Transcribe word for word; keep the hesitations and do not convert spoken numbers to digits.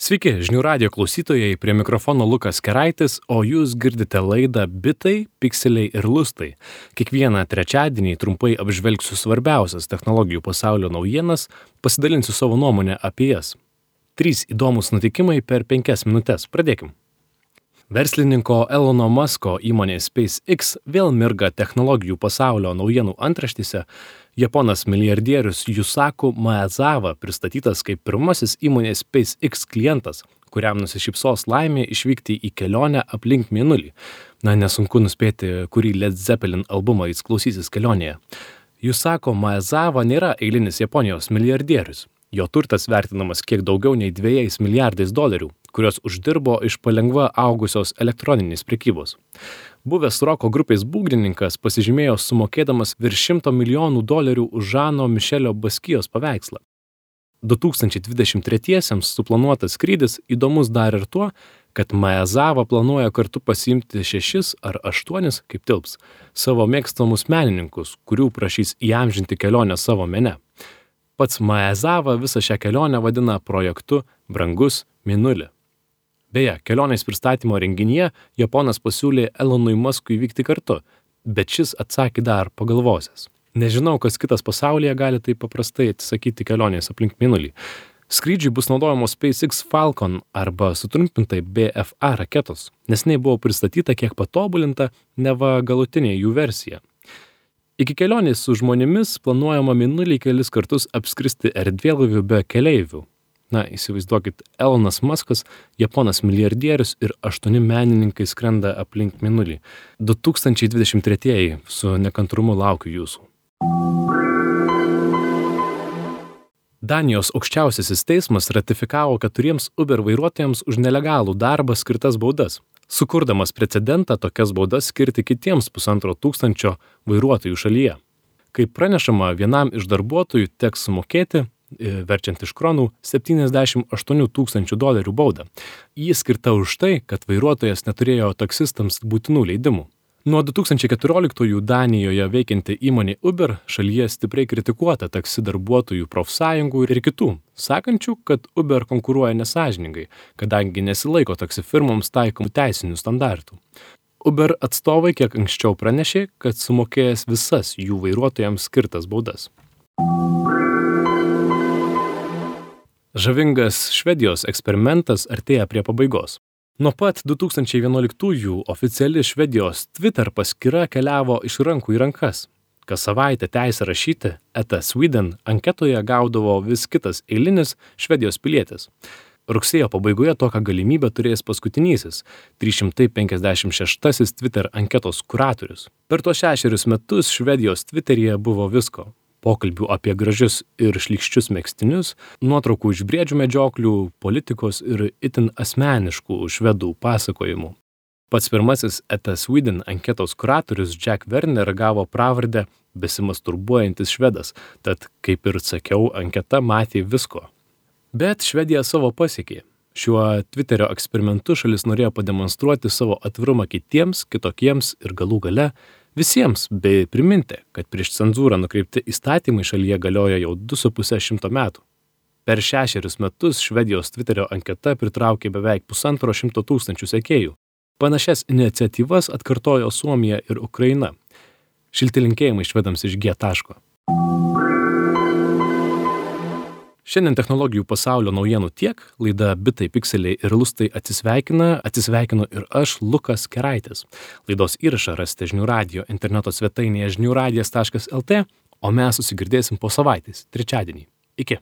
Sveiki, žinių radijo klausytojai, prie mikrofono Lukas Keraitis, o jūs girdite laidą Bitai, Pikseliai ir Lustai. Kiekvieną trečiadienį trumpai apžvelgsiu svarbiausias technologijų pasaulio naujienas, pasidalinsiu savo nuomonę apie jas. Trys įdomus nutikimai per penkias minutės. Pradėkim. Verslininko Elono Musko įmonė SpaceX vėl mirga technologijų pasaulio naujienų antraštėse. Japonas milijardierius Yusaku Maezawa pristatytas kaip pirmasis įmonės SpaceX klientas, kuriam nusišypsos laimė išvykti į kelionę aplink Mėnulį. Na, nesunku nuspėti, kurį Led Zeppelin albumą jis klausysis kelionėje. Yusaku Maezawa nėra eilinis Japonijos milijardierius. Jo turtas vertinamas kiek daugiau nei dviejais milijardais dolerių, kurios uždirbo iš palengva augusios elektroninės prekybos. Buvęs roko grupės būgnininkas pasižymėjo sumokėdamas virš šimto milijonų dolerių už Žano Mišelio Baskijos paveikslą. du tūkstančiai dvidešimt tretiesiems suplanuotas skrydis įdomus dar ir tuo, kad Maezawa planuoja kartu pasiimti šešis ar aštuonis, kaip tilps, savo mėgstamus menininkus, kurių prašys įamžinti kelionę savo mene. Pats Maezawa visą šią kelionę vadina projektu Brangus Mėnulį. Beje, kelionės pristatymo renginyje Japonas pasiūlė Elonui Muskui vykti kartu, bet šis atsakė dar pagalvosęs. Nežinau, kas kitas pasaulyje gali taip paprastai atsisakyti kelionės aplink Mėnulį. Skrydžiui bus naudojamos SpaceX Falcon arba sutrumpintai B F A raketos, nes jinai buvo pristatyta kiek patobulinta, neva galutinė jų versija. Iki kelionės su žmonėmis planuojama Mėnulį kelis kartus apskristi erdvėlaiviu be keleivių. Na, įsivaizduokit, Elonas Muskas, Japonas milijardierius ir aštuoni menininkai skrenda aplink Mėnulį. du tūkstančiai dvidešimt tretieji, su nekantrumu laukiu jūsų. Danijos aukščiausiasis teismas ratifikavo keturiems Uber vairuotojams už nelegalų darbą skirtas baudas, sukurdamas precedentą tokias baudas skirti kitiems pusantro tūkstančio vairuotojų šalyje. Kaip pranešama, vienam iš darbuotojų teks sumokėti, verčiant iš kronų, septyniasdešimt aštuonių tūkstančių dolerių baudą. Ji skirta už tai, kad vairuotojas neturėjo taksistams būtinų leidimų. Nuo du tūkstančiai keturioliktųjų Danijoje veikianti įmonė Uber šalyje stipriai kritikuota taksi darbuotojų profsąjungų ir kitų, sakančių, kad Uber konkuruoja nesąžiningai, kadangi nesilaiko taksi firmoms taikomų teisinių standartų. Uber atstovai kiek anksčiau pranešė, kad sumokėjęs visas jų vairuotojams skirtas baudas. Žavingas Švedijos eksperimentas artėja prie pabaigos. Nuo pat du tūkstančiai vienuoliktųjų oficiali Švedijos Twitter paskyra keliavo iš rankų į rankas. Kas savaitę teisę rašyti Eta Sweden anketoje gaudavo vis kitas eilinis Švedijos pilietis. Rugsėjo pabaigoje tokią galimybę turės paskutinysis, trys šimtai penkiasdešimt šeštasis Twitter anketos kuratorius. Per tuos šešerius metus Švedijos Twitteryje buvo visko. Pokalbių apie gražius ir šlykščius megztinius, nuotraukų iš briedžių medžioklių, politikos ir itin asmeniškų švedų pasakojimų. Pats pirmasis Eta Sweden anketos kuratorius Jack Werner gavo pravardę besimasturbuojantis švedas, tad, kaip ir sakiau, anketa matė visko. Bet Švedija savo pasiekė. Šiuo Twitterio eksperimentu šalis norėjo pademonstruoti savo atvirumą kitiems, kitokiems ir galų gale visiems, bei priminti, kad prieš cenzūrą nukreipti įstatymai šalyje galioja jau du su puse šimto metų. Per šešerius metus Švedijos Twitterio anketa pritraukė beveik pusantro šimto tūkstančių sekėjų. Panašias iniciatyvas atkartojo Suomija ir Ukraina. Šilti linkėjimai švedams iš G taško. Šiandien technologijų pasaulio naujienų tiek, laida Bitai, Pikseliai ir Lustai atsisveikina, atsisveikinu ir aš, Lukas Keraitis. Laidos įrašą rasite žinių radijo interneto svetainėje žinių radijas taškas lt, o mes susigirdėsim po savaitės, trečiadienį. Iki.